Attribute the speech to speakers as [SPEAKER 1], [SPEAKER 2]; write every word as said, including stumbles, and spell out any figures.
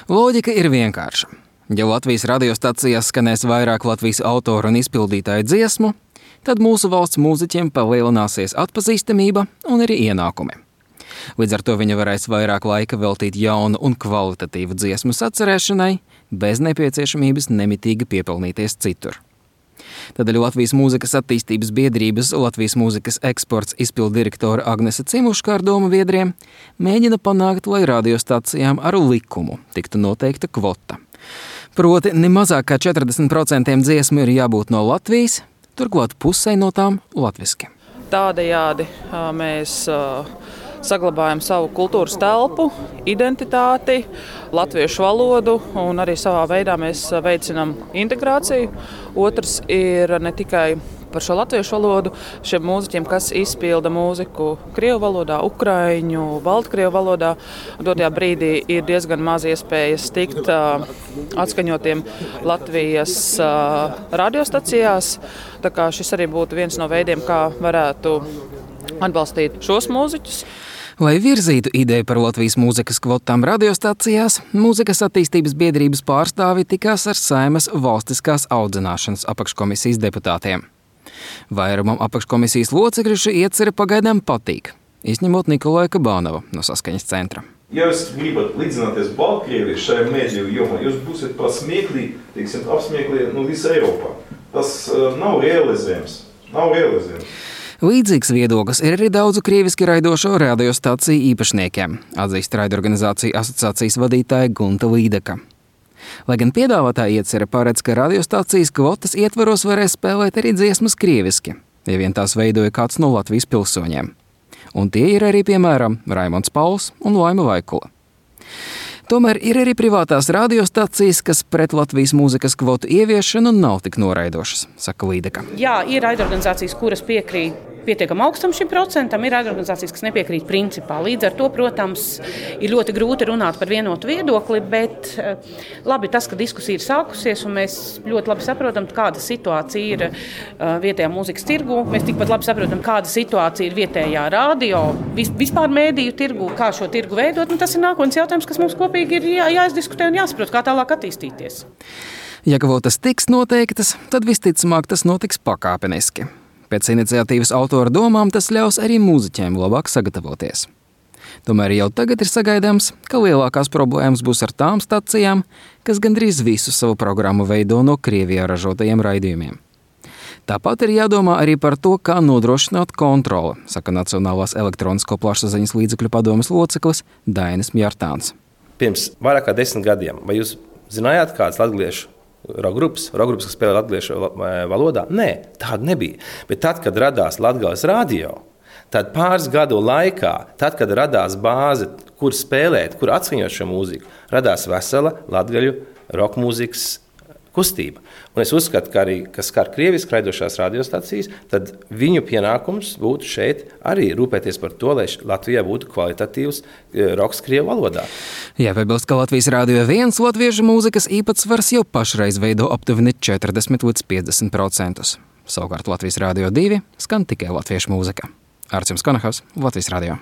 [SPEAKER 1] Loģika ir vienkārša. Ja Latvijas radiostacijās skanēs vairāk Latvijas autoru un izpildītāju dziesmu, tad mūsu valsts mūziķiem palielināsies atpazīstamība un arī ienākumi. Līdz ar to viņi varēs vairāk laika veltīt jaunu un kvalitatīvu dziesmu sacerēšanai, bez nepieciešamības nemitīgi piepelnīties citur. Tādēļ Latvijas mūzikas attīstības biedrības Latvijas mūzikas eksports izpilddirektora Agnese Cimuška ar domu biedriem mēģina panākt, lai radiostacijām ar likumu tiktu noteikta kvota. Proti, ne mazāk kā četrdesmit procenti dziesmu ir jābūt no Latvijas, turklāt pusē no tām latviski.
[SPEAKER 2] Tādējādi mēs saglabājam savu kultūras telpu, identitāti, latviešu valodu un arī savā veidā mēs veicinām integrāciju. Otrs ir ne tikai par šo latviešu valodu, šiem mūziķiem, kas izpilda mūziku krievu valodā, ukraiņu, baltkrievu valodā. Dotajā brīdī ir diezgan maz iespējas tikt uh, atskaņotiem Latvijas uh, radiostacijās. Tā kā šis arī būtu viens no veidiem, kā varētu atbalstīt šos mūziķus.
[SPEAKER 1] Lai virzītu ideju par Latvijas mūzikas kvotām radiostacijās, mūzikas attīstības biedrības pārstāvi tikās ar Saeimas valstiskās audzināšanas apakškomisijas deputātiem. Vairumam apakškomisijas locekļu šī iecerē pagaidām patīk, izņemot Nikolaju Kabanovu no Saskaņas centra.
[SPEAKER 3] Ja jūs gribat līdzināties Baltkrievijai šajā mediju jomā, jūs būsiet pasmieklī, teiksim, apsmieklī nu, visā Eiropā. Tas uh, nav realizējams. Nav realizējams.
[SPEAKER 1] Līdzīgs viedoklis ir arī daudzu krieviski raidošo radiostaciju īpašniekiem, atzīst raidorganizāciju asociācijas vadītāja Gunta Līdeka. Lai gan piedāvātā iecerē paredz, ka radiostacijas kvotas ietvaros varēs spēlēt arī dziesmas krieviski, ja vien tās veidoja kāds no Latvijas pilsoņiem. Un tie ir arī, piemēram, Raimonds Pauls un Laima Vaikula. Tomēr ir arī privātās radiostacijas, kas pret Latvijas mūzikas kvotu ieviešanu nav tik noraidošas, saka Līdeka.
[SPEAKER 4] Jā, ir raidorganizācijas, kuras piekrīt pietiekam augstam šim procentam, ir raidorganizācijas, kas nepiekrīt principā. Līdz ar to, protams, ir ļoti grūti runāt par vienotu viedokli, bet labi tas, ka diskusija ir sākusies un mēs ļoti labi saprotam, kāda situācija ir vietējā mūzikas tirgu. Mēs tikpat labi saprotam, kāda situācija ir vietējā radio, vispār mēdīju tirgu, kā šo tirgu veidot. Un tas ir nākotnes jautājums, kas mums kopīgi ir jā, jāizdiskutē un jāsaprot, kā tālāk attīstīties.
[SPEAKER 1] Ja kvotas tiks noteiktas, tad visticamāk tas notiks pakāpeniski. Pēc iniciatīvas autora domām tas ļaus arī mūziķiem labāk sagatavoties. Tomēr jau tagad ir sagaidāms, ka lielākās problēmas būs ar tām stacijām, kas gandrīz visu savu programmu veido no Krievijā ražotajiem raidījumiem. Tāpat ir jādomā arī par to, kā nodrošināt kontroli, saka Nacionālās elektronisko plašsaziņas līdzekļu padomes loceklis Dainis Mjartāns.
[SPEAKER 5] Pirms vairāk kā desmit gadiem, vai jūs zinājāt kāds latgaliešu rokgrupas, rokgrupas, kas spēlē latgaliešu valodā? Nē, tāda nebija. Bet tad, kad radās Latgales radio, tad pāris gadu laikā, tad, kad radās bāze, kur spēlēt, kur atskaņot šo mūziku, radās vesela latgaļu rokmūzikas kustība. Un es uzskatu, ka arī, kas skar krieviski raidošās radiostacijas, tad viņu pienākums būtu šeit arī rūpēties par to, lai Latvijā būtu kvalitatīvs roks krievu valodā.
[SPEAKER 1] Jāpiebilst, ka Latvijas Radio viens latviešu mūzikas īpatsvars jau pašreiz veido aptuveni četrdesmit līdz piecdesmit procentus. Savukārt Latvijas Radio divi skan tikai latviešu mūzika. Arcims Konahavs, Latvijas Radio.